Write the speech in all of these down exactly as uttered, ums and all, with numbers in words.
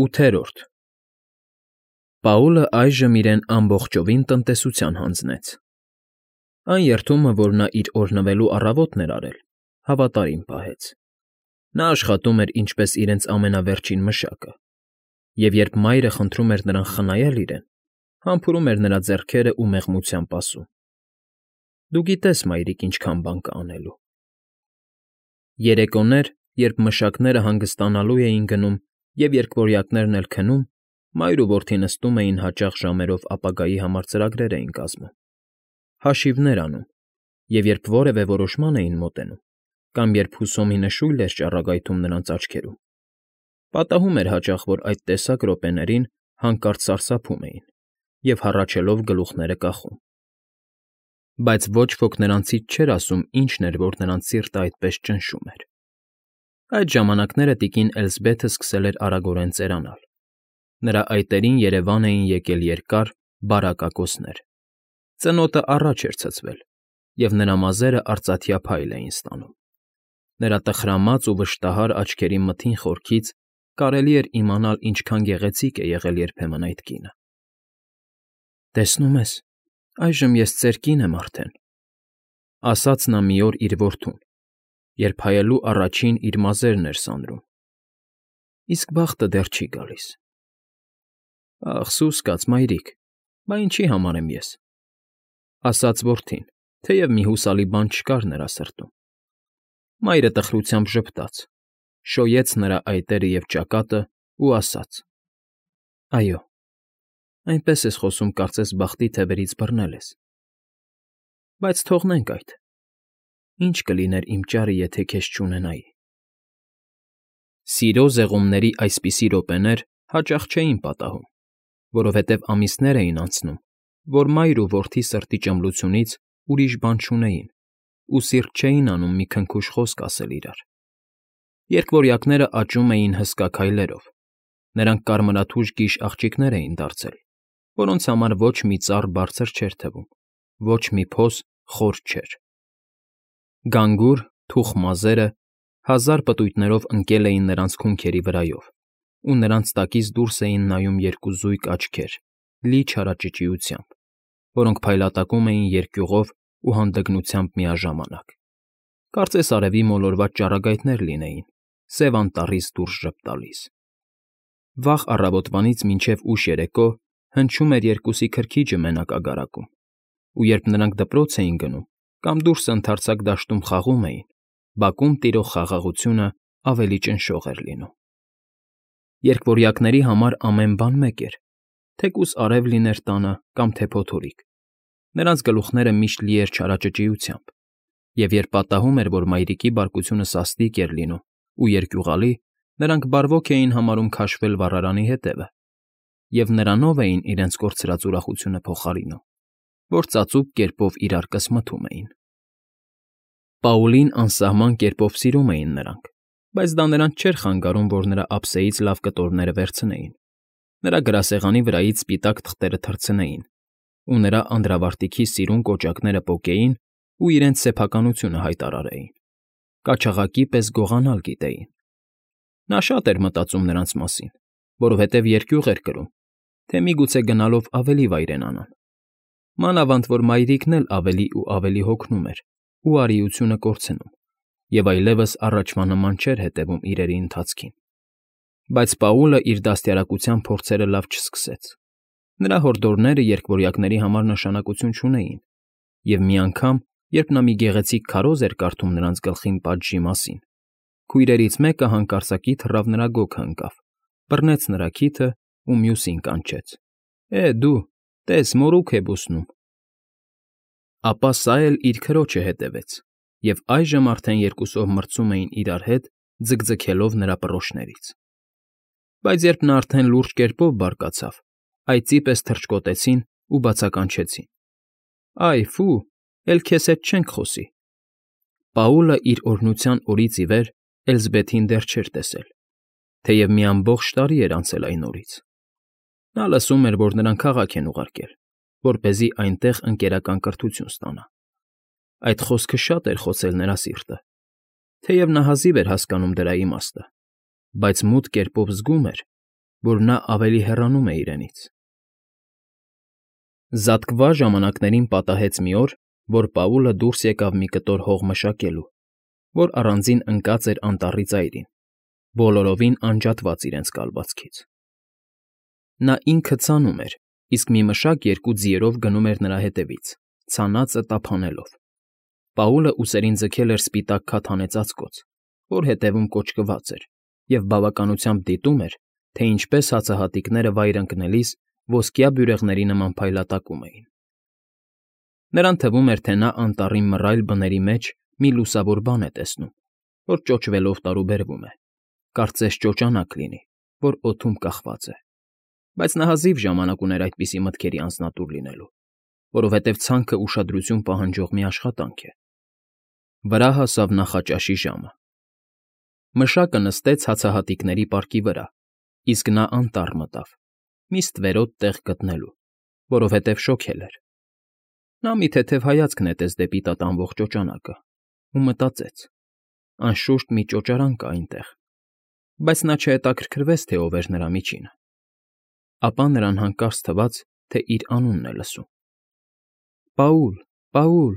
ՈՒԹԵՐՈՐԴ Պաուլը այժմ իրեն ամբողջովին տնտեսության հանձնեց. այն երդումը, որ նա իր օրհնվելու առավոտն էր արել, հավատարիմ պահեց. նա աշխատում էր ինչպես իրենց ամենավերջին մշակը, և երբ մայրը խնդրում էր նրան խնայել իրեն, համբուրում էր նրա ձեռքերն ու մեղմությամբ ասում. «Դու գիտես, մայրիկ, ինչքան բան կա անելու»։ Երեկոներ, երբ մշակները հանգստանալու էին գնում և երկվորյակներն էլ քնում, մայր ու որդի նստում էին հաճախ ժամերով ապագայի համար ծրագրեր էին կազմում, հաշիվներ անում, և երբ որևէ որոշման էին մոտենում, կամ երբ հուսոմի նշույլ էր ճառագայթում նրանց աչքերում, պատահում էր հաճախ, որ այդ տեսակ րոպեներին հանկարծ սարսափում էին և, հառաչելով, գլուխները կախում։ Բայց ոչ ոք նրանցից չէր ասում ինչն էր, որ նրանց սիրտը այդպես ճնշում էր։ Այդ ժամանակները տիկին Էլզբեթը սկսել էր արագորեն ծերանալ. նրա այտերին երևան էին եկել երկար, բարակ ակոսներ, ծնոտը առաջ էր ցցվել, և նրա մազերը արծաթյա փայլ էին ստանում։ Նրա տխրամած ու վշտահար աչքերի մթին խորքից կարելի էր իմանալ ինչքան գեղեցիկ է եղել երբեմն այդ կինը։ «Տեսնում ես, այժմ ես ծեր կին եմ արդեն», ֊ ասաց նա մի օր իր որդուն, երբ հայելու առաջին իր մազերն էր սանրում, ֊ իսկ բախտը դեռ չի գալիս։ «Ախ, սուս կաց, մայրիկ, բա ինչի համար եմ ես», ֊ ասաց որդին, թեև մի հուսալի բան չկար նրա սրտում։ Մայրը տխրությամբ ժպտաց, շոյեց նրա այտերը և ճակատն ու ասաց. «Այո, այնպես ես խոսում, կարծես բախտի թևերից բռնել ես։ Բայց թողնենք այդ. ի՞նչ կլիներ իմ ճարը, եթե քեզ չունենայի»։ Սիրո զեղումների այսպիսի րոպեներ հաճախ չէին պատահում, որովհետև ամիսներ էին անցնում, որ մայր ու որդի սրտի ճմլությունից ուրիշ բան չունեին ու սիրտ չէին անում մի քնքուշ խոսք ասել իրար։ Երկվորյակները աճում էին հսկա քայլերով, նրանք կարմրաթուշ գիշ աղջիկներ էին դարձել, որոնց համար ոչ մի ծառ բարձր չէր թվում, ոչ մի փոս խոր չէր։ Գանգուր, թուխ մազերը հազար պտույտներով ընկել էին նրանց քունքերի վրայով, ու նրանց տակից դուրս էին նայում երկու զույգ աչքեր լի չարաճճիությամբ, որոնք փայլատակում էին երկյուղով ու հանդգնությամբ միաժամանակ, կարծես արևի մոլորված ճառագայթներ լինեին, Սև Անտառից դուրս ժպտալիս։ Վաղ առավոտվանից մինչև ուշ երեկո հնչում էր երկուսի քրքիջը մենակ ագարակում, ու երբ նրանք դպրոց էին գնում կամ դուրս ընդարձակ դաշտում խաղում էին, բակում տիրող խաղաղությունն ավելի ճնշող էր լինում։ Երկվորյակների համար ամեն բան մեկ էր, թեկուզ արև լիներ տանը կամ թե փոթորիկ, նրանց գլուխները միշտ լի էր չարաճճիությամբ, և երբ պատահում էր, որ մայրիկի բարկությունը սաստիկ էր լինում ու երկյուղալի, նրանք բարվոք էին համարում քաշվել վառարանի ետևը և նրանով էին իրենց կորցրած ուրախությունը փոխարինում, որ ծածուկ կերպով իրար կսմթում էին։ Պաուլին անսահման կերպով սիրում էին նրանք, բայց դա նրանց չէր խանգարում, որ նրա ափսեից լավ կտորները վերցնեին, նրա գրասեղանի վրայից սպիտակ թղթերը թռցնեին ու նրա անդրավարտիքի սիրուն կոճակները պոկեին ու իրենց սեփականությունը հայտարարեին, կաչաղակի պես գողանալ գիտեին։ Նա շատ էր մտածում նրանց մասին, որովհետև երկյուղ էր կրում, թե միգուցե գնալով ավելի վայրենանան, մանավանդ որ մայրիկն էլ ավելի ու ավելի հոգնում էր ու արիությունը կորցնում, և այլևս առաջվա նման չէր հետևում իրերի ընթացքին։ Բայց Պաուլը իր դաստիարակության փորձերը լավ չսկսեց։ Նրա հորդորները երկվորյակների համար նշանակություն չունեին, և մի անգամ, երբ նա մի գեղեցիկ քարոզ էր կարդում նրանց գլխին պատժի մասին, քույրերից մեկը հանկարծակի թռավ նրա գոգը ընկավ, բռնեց նրա քիթն ու մյուսին կանչեց. «Է, դու, տես, մորուք է բուսնում»։ Ապա սա էլ իր քրոջը հետևեց, և այժմ արդեն երկուսով մրցում էին իրար հետ, ձգձգելով նրա պռոշներից։ Բայց երբ նա արդեն լուրջ կերպով բարկացավ, այծի պես թռչկոտեցին ու բացականչեցին. «Այ, ֆու, էլ քեզ հետ չենք խոսի»։ Պաուլը իր օրհնության օրից ի վեր Էլզբեթին դեռ չէր տեսել, թեև մի ամբողջ տարի էր անցել այն օրից։ Նա լսում էր, որ նրան քաղաք են ուղարկել, որպեսզի այնտեղ ընկերական կրթություն ստանա։ Այդ խոսքը շատ էր խոցել նրա սիրտը, թեև նա հազիվ էր հասկանում դրա իմաստը, բայց մութ կերպով զգում էր, որ նա ավելի հեռանում է իրենից։ Զատկվա ժամանակներին պատահեց մի օր, որ Պաուլը դուրս եկավ մի կտոր հող մշակելու, որ առանձին ընկած էր անտառի ծայրին, բոլորովին անջատված իրենց կալվածքից։ Նա ինքը ցանում էր, իսկ մի մշակ երկու ձիերով գնում էր նրա հետևից, ցանածը տափանելով։ Պաուլը ուսերին ձգել էր սպիտակ քաթանե ծածկոց, որ հետևում կոճկված էր, և բավականությամբ դիտում էր, թե ինչպես հացահատիկները վայր ընկնելիս ոսկյա բյուրեղների նման փայլատակում էին։ Նրան թվում էր, թե նա անտառի մռայլ բների մեջ մի լուսավոր բան է տեսնում, որ ճոճվելով տարուբերվում է, կարծես ճոճանակ լինի, որ օդում կախված է, բայց նա հազիվ ժամանակ ուներ այդպիսի մտքերի անձնատուր լինելու, որովհետև ցանքը ուշադրություն պահանջող մի աշխատանք է։ Վրա հասավ նախաճաշի ժամը։ Մշակը նստեց հացահատիկների պարկի վրա, իսկ նա անտառ մտավ, մի ստվերոտ տեղ գտնելու, որովհետև շոգել էր։ Նա մի թեթև հայացք նետեց դեպի տատանվող ճոճանակը ու մտածեց. անշուշտ մի ճոճարան կա այնտեղ, բայց նա չհետաքրքրվեց, թե ով էր նրա միջինը։ Ապա նրան հանկարծ թվաց, թե իր անունն է լսում. «Պաուլ, Պաուլ»։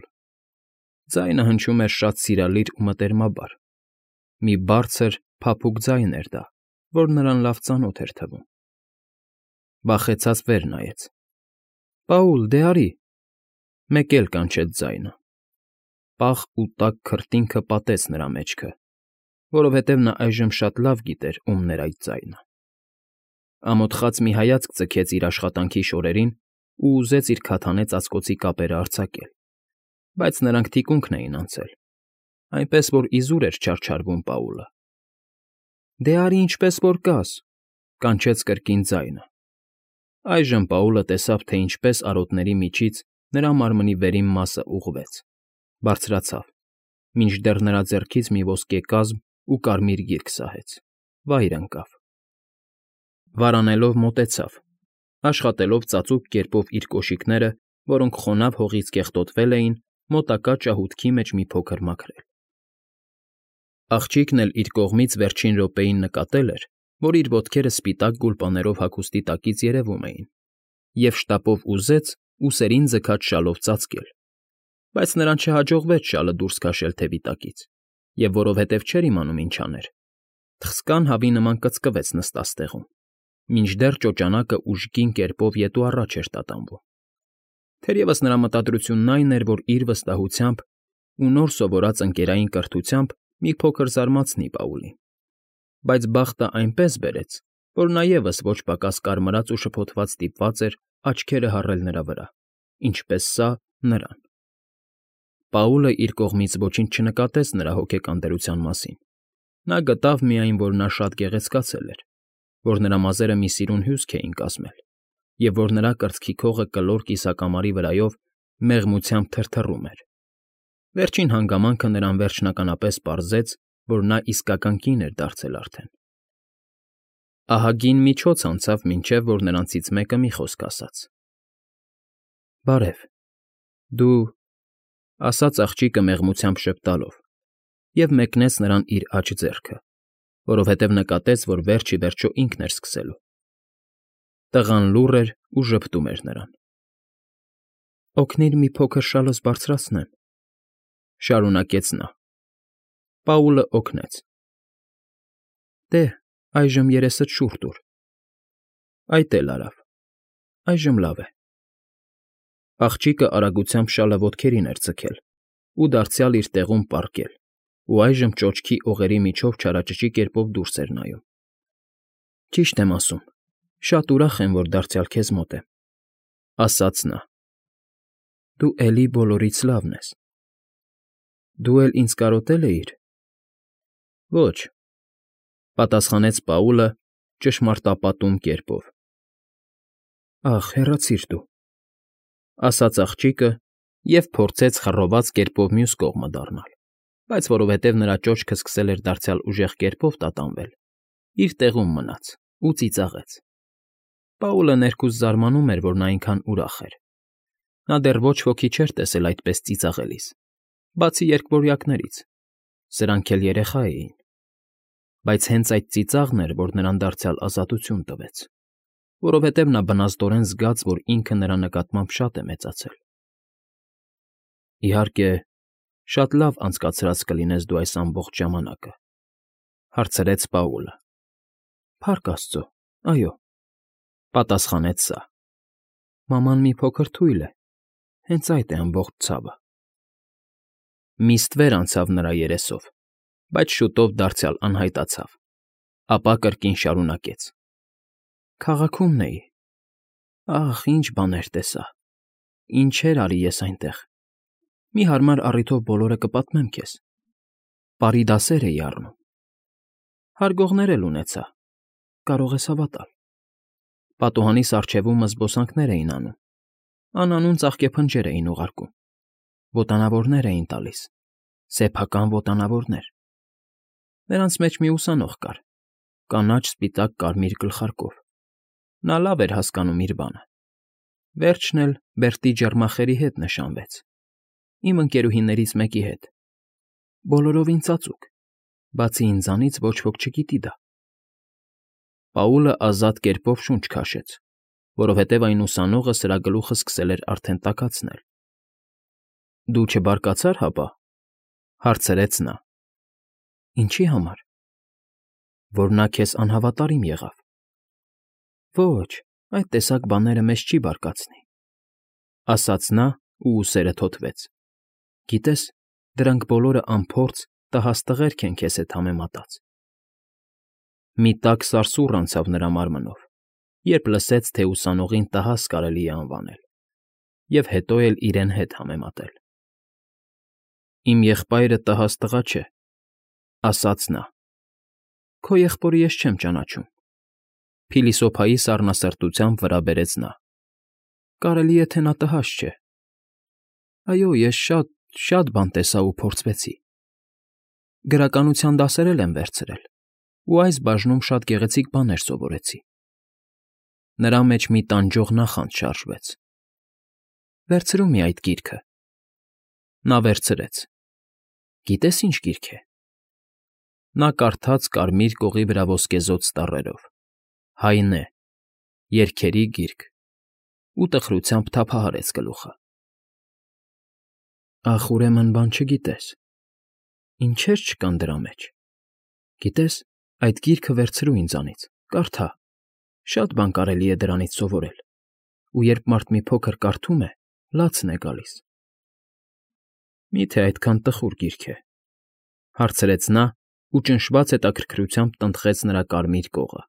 Ձայնը հնչում էր շատ սիրալիր ու մտերմաբար։ Մի բարձր, փափուկ ձայն էր դա, որ նրան լավ ծանոթ էր թվում։ Վախեցած վեր նայեց։ «Պաուլ, դե արի»։ Մեկ էլ կանչեց ձայնը։ Պաղ ու տաք քրտինքը պատեց նրա մեջքը, որովհետև նա այժմ շատ լավ գիտեր ումն էր այդ ձայնը։ Ամոթխած մի հայացք ձգեց իր աշխատանքի շորերին ու ուզեց իր քաթանե ծածկոցի կապերը արձակել, բայց նրանք թիկունքն էին անցել, այնպես որ իզուր էր չարչարվում Պաուլը։ «Դե արի ինչպես որ կաս», կանչեց կրկին ձայնը։ Այժմ Պաուլը տեսավ, թե ինչպես արոտների միջից նրա մարմնի վերին մասը ուղղվեց, բարձրացավ, մինչդեռ նրա ձեռքից մի ոսկե կազմ ու կարմիր գիրք սահեց, վայր ընկավ։ Վարանելով մոտեցավ, աշխատելով ծածուկ կերպով իր կոշիկները, որոնք խոնավ հողից կեղտոտվել էին, մոտակա ճահուտքի մեջ մի փոքր մաքրել։ Աղջիկն էլ իր կողմից վերջին րոպեին նկատել էր, որ իր ոտքերը սպիտակ գուլպաներով հագուստի տակից երևում էին, և շտապով ուզեց ուսերին ձգած շալով ծածկել, բայց նրան չհաջողվեց շալը դուրս քաշել թևի տակից, և որովհետև չէր իմանում ինչ աներ, թխսկան հավի նման կծկվեց նստած տեղում, մինչդեռ ճոճանակը ուժգին կերպով ետ ու առաջ էր տատանվում։ Թերևս նրա մտադրությունն այն էր, որ իր վստահությամբ ու նոր սովորած ընկերային կրթությամբ մի փոքր զարմացնի Պաուլին, բայց բախտը այնպես բերեց, որ նա ևս ոչ պակաս կարմրած ու շփոթված ստիպված էր աչքերը հառել նրա վրա, ինչպես սա՝ նրան։ Պաուլը իր կողմից ոչինչ չնկատեց նրա հոգեկան դրության մասին։ Նա գտավ միայն, որ նա շատ գեղեցկացել էր, որ նրա մազերը մի սիրուն հյուսք էին կազմել, և որ նրա կրծքի քողը կլոր կիսակամարի վրայով մեղմությամբ թրթռում էր։ Վերջին հանգամանքը նրան վերջնականապես պարզեց, որ նա իսկական կին էր դարձել արդեն։ Ահագին միջոց անցավ, մինչև որ նրանցից մեկը մի խոսք ասաց. «Բարև, դու…» ասաց աղջիկը մեղմությամբ ժպտալով և մեկնեց նրան իր աջ ձեռքը, որովհետև նկատեց, որ վերջ ի վերջո ինքն էր սկսելու։ Տղան լուռ էր ու ժպտում էր նրան։ «Օգնիր մի փոքր շալս բարձրացնեմ», շարունակեց նա։ Պաուլը օգնեց։ «Դե, այժմ երեսդ շուռ տուր»։ Այդ էլ արավ։ Այժմ լավ է։ Աղջիկը արագությամբ շալը ոտքերին էր ձգել ու դարձյալ իր տեղում պառկել, ու այժմ ճոճքի օղերի միջով չարաճճի կերպով դուրս էր նայում։ «Ճիշտ եմ ասում, շատ ուրախ եմ, որ դարձյալ քեզ մոտ եմ», ասաց նա։ «Դու էլի բոլորից լավն ես։ Դու էլ ինձ կարոտե՞լ էիր»։ «Ոչ», պատասխանեց Պաուլը ճշմարտապատում կերպով։ «Ախ, հեռացիր դու», ասաց աղջիկը և փորձեց խռոված կերպով մյուս կողմը դառնալ, բայց որովհետև նրա ճոճքը սկսել էր դարձյալ ուժեղ կերպով տատանվել, իր տեղում մնաց ու ծիծաղեց։ Պաուլը ներքուստ զարմանում էր, որ նա այնքան ուրախ էր։ Նա դեռ ոչ ոքի չէր տեսել այդպես ծիծաղելիս, բացի երկվորյակներից, սրանք էլ երեխա էին։ Բայց հենց այդ ծիծաղն էր, որ նրան դարձյալ ազատություն տվեց, որովհետև նա բնազդորեն զգաց, որ ինքը նրա նկատմամբ շատ է մեծացել։ Իհարկե, շատ լավ անցկացրած կլինես դու այս ամբողջ ժամանակը,֊ հարցրեց Պաուլը։ Փառք Աստծո, այո,֊ պատասխանեց սա։ Մաման մի փոքր թույլ է, հենց այդ է ամբողջ ցավը։ Մի ստվեր անցավ նրա երեսով, բայց շուտով դարձյալ անհայտացավ, ապա կրկին շարունակեց. Քաղաքումն էի։ Ախ, ինչ բաներ տեսա, ինչեր արի ես այնտեղ։ Մի հարմար առիթով բոլորը կպատմեմ քեզ։ Պարի դասեր էի առնում։ Հարգողներ էլ ունեցա, կարող ես հավատալ։ Պատուհանիս առջևումը զբոսանքներ էին անում, անանուն ծաղկեփնջեր էին ուղարկում, ոտանավորներ էին տալիս, սեփական ոտանավորներ։ Նրանց մեջ մի ուսանող կար, կանաչ֊սպիտակ կարմիր գլխարկով։ Նա լավ էր հասկանում իր բանը։ Վերջն էլ Բերտի ջեռմախերի հետ նշանվեց, իմ ընկերուհիներից մեկի հետ։ Բոլորովին ծածուկ, բացի ինձանից ոչ ոք չգիտի դա։ Պաուլը ազատ կերպով շունչ քաշեց, որովհետև այն ուսանողը սրա գլուխը սկսել էր արդեն տաքացնել։ Դու չբարկացար, հապա,֊ հարցրեց նա։ Ինչի համար։ Որ նա քեզ անհավատարիմ եղավ։ Ոչ, այդ տեսակ բաները մեզ չի բարկացնի,֊ ասաց նա ու ուսերը թոթվեց։ Գիտես, դրանք բոլորը անփորձ տհաս տղերք են քեզ հետ համեմատած։ Մի տաք սարսուռ անցավ նրա մարմնով, երբ լսեց, թե ուսանողին տհաս կարելի է անվանել, և հետո էլ իրեն հետ համեմատել։ Իմ եղբայրը տհաս տղա չէ,֊ ասաց նա։ Քո եղբորը ես չեմ ճանաչում,֊ փիլիսոփայի սառնասրտությամբ վրա բերեց նա։ Կարելի է, թե նա տհաս չէ։ Այո, ես շատ, շատ բան տեսա ու փորձվեցի։ Գրականության դասեր էլ եմ վերցրել ու այս բաժնում շատ գեղեցիկ բաներ սովորեցի։ Նրա մեջ մի տանջող նախանձ շարժվեց։ Վերցրու մի այդ գիրքը։ Նա վերցրեց։ Գիտես ինչ գիրք է։ Նա կարդաց կարմիր կողի վրա ոսկեզօծ տառերով. Հայնե, երգերի գիրք, ու տխրությամբ թափահարեց գլուխը։ Ախ, ուրեմն բան չգիտես։ Ինչեր չկան դրա մեջ։ Գիտես, այդ գիրքը վերցրու ինձանից, կարդա, շատ բան կարելի է դրանից սովորել, ու երբ մարդ մի փոքր կարդում է, լացն է գալիս։ Մի՞թե այդքան տխուր գիրք է,֊ հարցրեց նա ու ճնշված հետաքրքրությամբ տնտղեց նրա կարմիր կողը։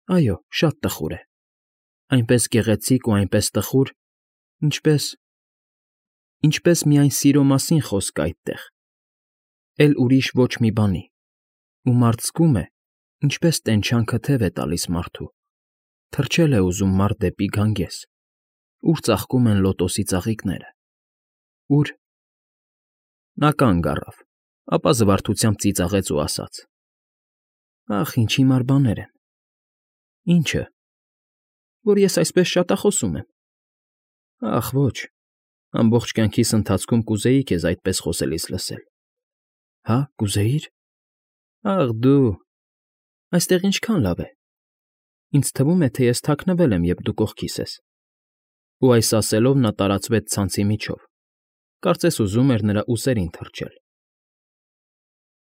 Այո, շատ տխուր է, այնպես գեղեցիկ ու այնպես տխուր, ինչպես… ինչպես միայն սիրո մասին խոսք կա այդտեղ, էլ ուրիշ ոչ մի բանի, ու մարդ զգում է, ինչպես տենչանքը թև է տալիս մարդու, թռչել է ուզում մարդ դեպի գանգես, ուր ծաղկում են լոտոսի ծաղիկները, ուր… Նա կանգ առավ, ապա զվարթությամբ ծիծաղեց ու ասաց. Ախ, ինչ հիմար բաներ են։ Ինչը։ Որ ես այսպես շատախոսում եմ։ Ախ, ոչ, ամբողջ կյանքիս ընթացքում կուզեի քեզ այդպես խոսելիս լսել։ Հա, կուզեի՞ր։ Ախ, դու… Այստեղ ինչքան լավ է։ Ինձ թվում է, թե ես թաքնվել եմ, երբ դու կողքիս ես։ Ու այս ասելով նա տարածվեց ցանցի միջով, կարծես ուզում էր նրա ուսերին թռչել։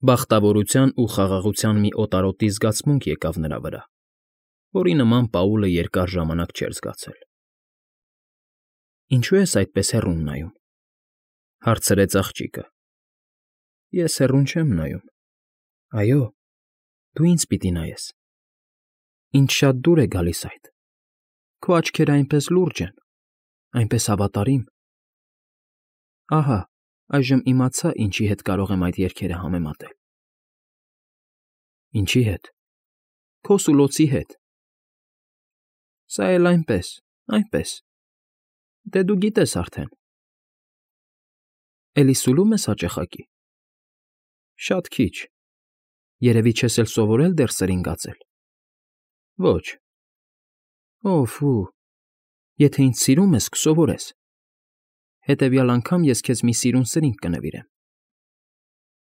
Բախտավորության ու խաղաղության մի օտարոտի զգացմունք եկավ նրա վրա, որի նման Պաուլը երկար ժամանակ չէր զգացել։ Ինչո՞ւ ես այդպես հեռուն նայում,֊ հարցրեց աղջիկը։ Ես հեռուն չեմ նայում։ Այո, դու ինձ պիտի նայես։ Ինձ շատ դուր է գալիս այդ։ Քո աչքերը այնպես լուրջ են, այնպես հավատարիմ։ Ահա, այժմ իմացա, ինչի հետ կարող եմ այդ երգերը համեմատել։ Ինչի հետ։ Քո սուլոցի հետ։ Սա էլ այնպես, այնպես։ Դե դու գիտես արդեն։ Էլի սուլո՞ւմ ես հաճախակի։ Շատ քիչ։ Երևի չես էլ սովորել դեռ սրինգացել։ Ոչ։ Օ՜ֆ, եթե ինձ սիրում ես, կսովորես։ Հետևյալ անգամ ես քեզ մի սիրուն սրինգ կնվիրեմ։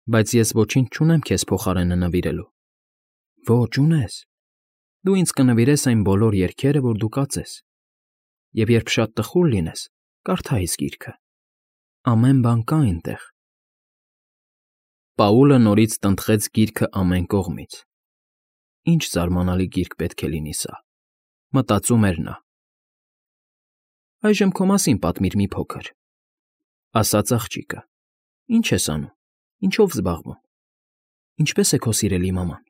Բայց ես ոչինչ չունեմ քեզ փոխարենը նվիրելու։ Ոչ, ունես։ Դու ինձ կնվիրես այն բոլոր երգերը, որ դու կածես։ Եվ երբ շատ տխուր լինես, կարդա այս գիրքը։ Ամեն բան կա այնտեղ։ Պաուլը նորից տնտղեց գիրքը ամեն կողմից։ Ինչ զարմանալի գիրք պետք է լինի սա, մտածում էր նա։ Այժմ քո մասին պատմիր մի փոքր, ասաց աղջիկը։ Ինչ ես անում, ինչով զբաղվում, ինչպես է քո սիրելի մաման։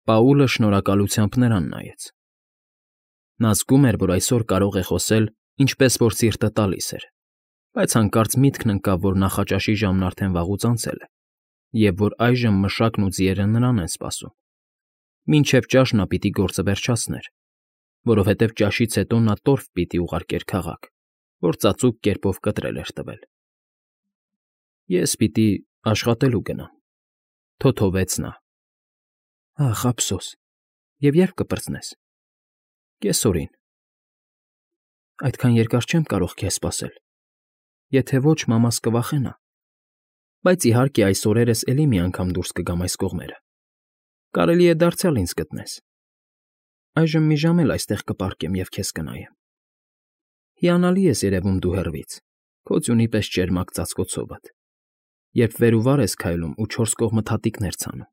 Պաուլը շնորհակալությամբ նրան նայեց։ Նա զգում էր, որ այսօր կարող է խոսել, ինչպես որ սիրտը տալիս էր, բայց հանկարծ միտքն ընկավ, որ նախաճաշի ժամն արդեն վաղուց անցել է, և որ այժմ մշակն ու ձիերը նրան են սպասում։ Մինչև ճաշ նա պիտի գործը վերջացներ, որովհետև ճաշից հետո նա տորֆ պիտի ուղարկեր քաղաք, որ ծածուկ կերպով կտրել էր տվել։ Ես պիտի աշխատելու գնամ, թոթովեց նա։ Ախ, ափսոս, և երբ կպրծնես։ Կեսօրին։ Այդքան երկար չեմ կարող քեզ սպասել։ Եթե ոչ, մամաս կվախենա։ Բայց իհարկե այս օրերս էլի մի անգամ դուրս կգամ այս կողմերը։ Կարելի է դարձյալ ինձ գտնես։ Այժմ մի ժամ էլ այստեղ կպառկեմ և քեզ կնայեմ։ Հիանալի ես երևում դու հեռվից, քո ձյունի պես ճերմակ ծածկոցովդ, երբ վեր ու վար ես քայլում ու չորս կողմդ հատիկներ ցանում։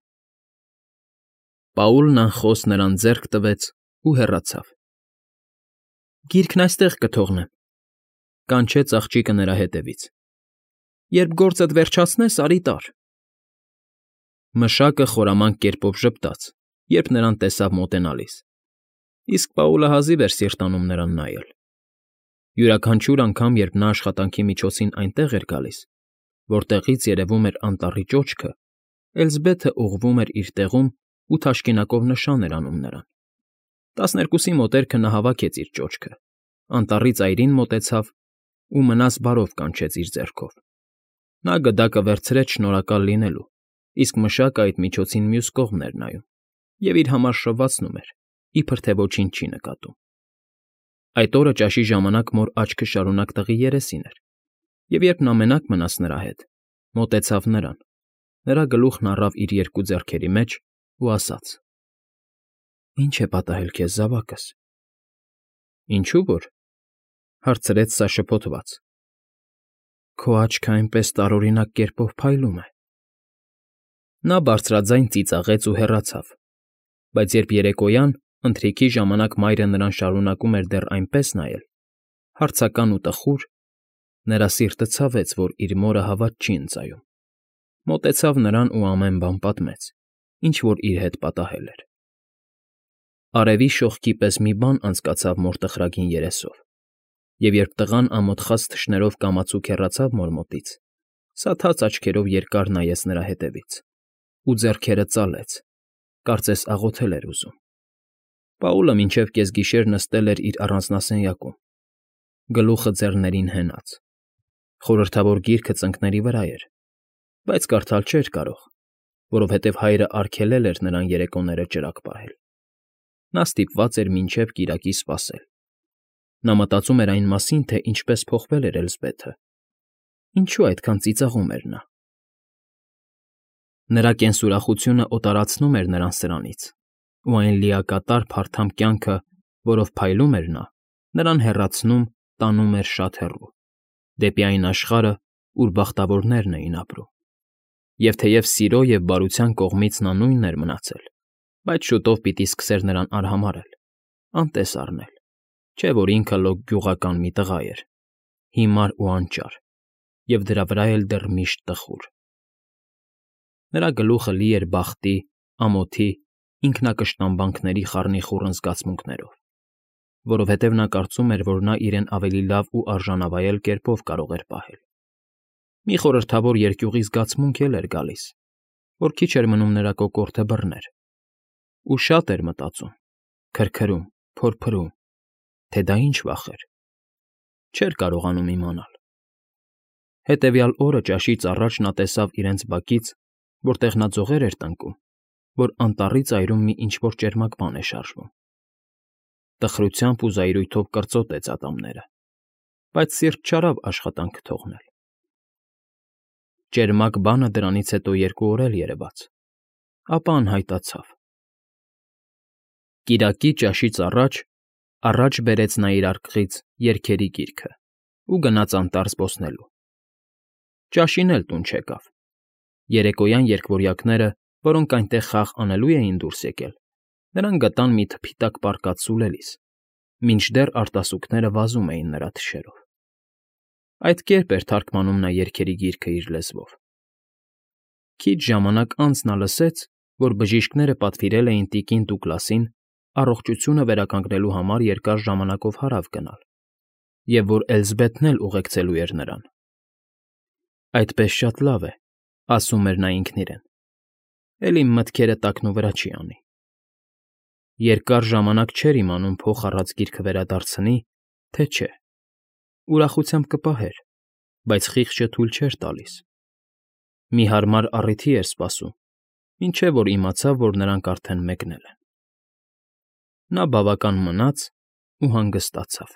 Պաուլն անխոս նրան ձեռք տվեց ու հեռացավ։ Գիրքն այստեղ կթողնեմ, կանչեց աղջիկը նրա հետևից։ Երբ գործդ վերջացնես, արի տար։ Մշակը խորամանկ կերպով ժպտաց, երբ նրան տեսավ մոտենալիս, իսկ Պաուլը հազիվ էր սիրտանում նրան նայել։ Յուրաքանչյուր անգամ, երբ նա աշխատանքի միջոցին այնտեղ էր գալիս, որտեղից երևում էր անտառի ճոճքը, Էլզբեթը ուղղվում էր իր տեղում ու թաշկինակով նշան էր անում նրան։ Տասներկուսի մոտերքը նա հավաքեց իր ճոճքը, անտառի ծայրին մոտեցավ ու մնաս բարով կանչեց իր ձեռքով։ Նա գդակը վերցրեց շնորհակալ լինելու, իսկ մշակը այդ միջոցին մյուս կողմն էր նայում և իր համար շվվացնում էր, իբր թե ոչինչ չի նկատում։ Այդ օրը ճաշի ժամանակ մոր աչքը շարունակ տղի երեսին էր, և երբ նա մենակ մնաց նրա հետ, մոտեցավ նրան, նրա գլուխն առավ իր երկու ձեռքերի մեջ ու ասաց. Ինչ է պատահել քեզ, զավակս։ Ինչու որ, հարցրեց սա շփոթված։ Քո աչքը այնպես տարօրինակ կերպով փայլում է։ Նա բարձրաձայն ծիծաղեց ու հեռացավ, բայց երբ երեկոյան, ընթրիքի ժամանակ մայրը նրան շարունակում էր դեռ այնպես նայել, հարցական ու տխուր, նրա սիրտը ցավեց, որ իր մորը հավատ չի ընծայում։ Մոտեցավ նրան ու ամեն բան պատմեց, ինչ որ իր հետ պատահել էր։ Արևի շողքի պես մի բան անցկացավ մոր տխրագին երեսով, և երբ տղան ամոթխած թշներով կամացուկ հեռացավ մոր մոտից, սաթաց աչքերով երկար նայեց նրա հետևից ու ձեռքերը ծալեց, կարծես աղոթել էր ուզում։ Պաուլը մինչև կեսգիշեր նստել էր իր առանձնասենյակում, գլուխը ձեռներին հենած։ Խորհրդավոր գիրքը ծնկների վրա էր, բայց կարդալ չէր կարող, որովհետև հայրը արգելել էր նրան երեկոները ճրագ պահել։ Նա ստիպված էր մինչև կիրակի սպասել։ Նա մտածում էր այն մասին, թե ինչպես փոխվել էր Էլզբեթը, ինչու այդքան ծիծաղում էր նա։ Նրա կենսուրախությունը օտարացնում էր նրան սրանից, ու այն լիակատար փարթամ կյանքը, որով փայլում էր նա, նրան հեռացնում, տանում էր շատ հեռու, դեպի այն աշխարհը, ուր բախտավորներն էին ապրում։ Եվ թեև սիրո և բարության կողմից նա նույնն էր մնացել, բայց շուտով պիտի սկսեր նրան արհամարհել, անտես առնել, չէ՞ որ ինքը լոկ գյուղական մի տղա էր, հիմար ու անճար, և դրա վրա էլ դեռ միշտ տխուր։ Նրա գլուխը լի էր բախտի, ամոթի, ինքնակշտամբանքների խառնիխուռն զգացմունքներով, որովհետև նա կարծում էր, որ նա իրեն ավելի լավ ու արժանավայել կերպով կարող էր պահել։ Մի խորհրդավոր երկյուղի զգացմունք էլ էր գալիս, որ քիչ էր մնում նրա կոկորդը բռներ, ու շատ էր մտածում, քրքրում, փորփրում, թե դա ինչ վախ էր։ Չէր կարողանում իմանալ։ Հետևյալ օրը ճաշից առաջ նա տեսավ իրենց բակից, որտեղ նա ձողեր էր տնկում, որ անտառի ծայրում մի ինչ֊որ ճերմակ բան է շարժվում։ Տխրությամբ ու զայրույթով կրծոտեց ատամները, բայց սիրտ չարավ աշխատանքը թողնել։ Ճերմակ բանը դրանից հետո երկու օր էլ երևաց, ապա անհայտացավ։ Կիրակի ճաշից առաջ առաջ բերեց նա իր արկղից երգերի գիրքը ու գնաց անտառ զբոսնելու։ Ճաշին էլ տուն չեկավ։ Երեկոյան երկվորյակները, որոնք այնտեղ խաղ անելու էին դուրս եկել, նրան գտան մի թփի տակ պառկած սուլելիս, մինչդեռ արտասուքները վազում էին նրա թշերով։ Այդ կերպ էր թարգմանում նա երգերի գիրքը իր լեզվով։ Քիչ ժամանակ անց նա լսեց, որ բժիշկները պատվիրել էին տիկին Դուգլասին առողջությունը վերականգնելու համար երկար ժամանակով հարավ գնալ, և որ Էլզբեթն էլ ուղեկցելու էր նրան։ «Այդպես շատ լավ է,֊ ասում էր նա ինքն իրեն,֊ էլ իմ մտքերը տակնուվրա չի անի»։ Երկար ժամանակ չէր իմանում փոխ առած գիրքը վերադարձնի, թե չէ։ Ուրախությամբ կպահեր, բայց խիղճը թույլ չէր տալիս։ Մի հարմար առիթի էր սպասում, մինչև որ իմացավ, որ նրանք արդեն մեկնել են։ Նա բավական մնաց ու հանգստացավ։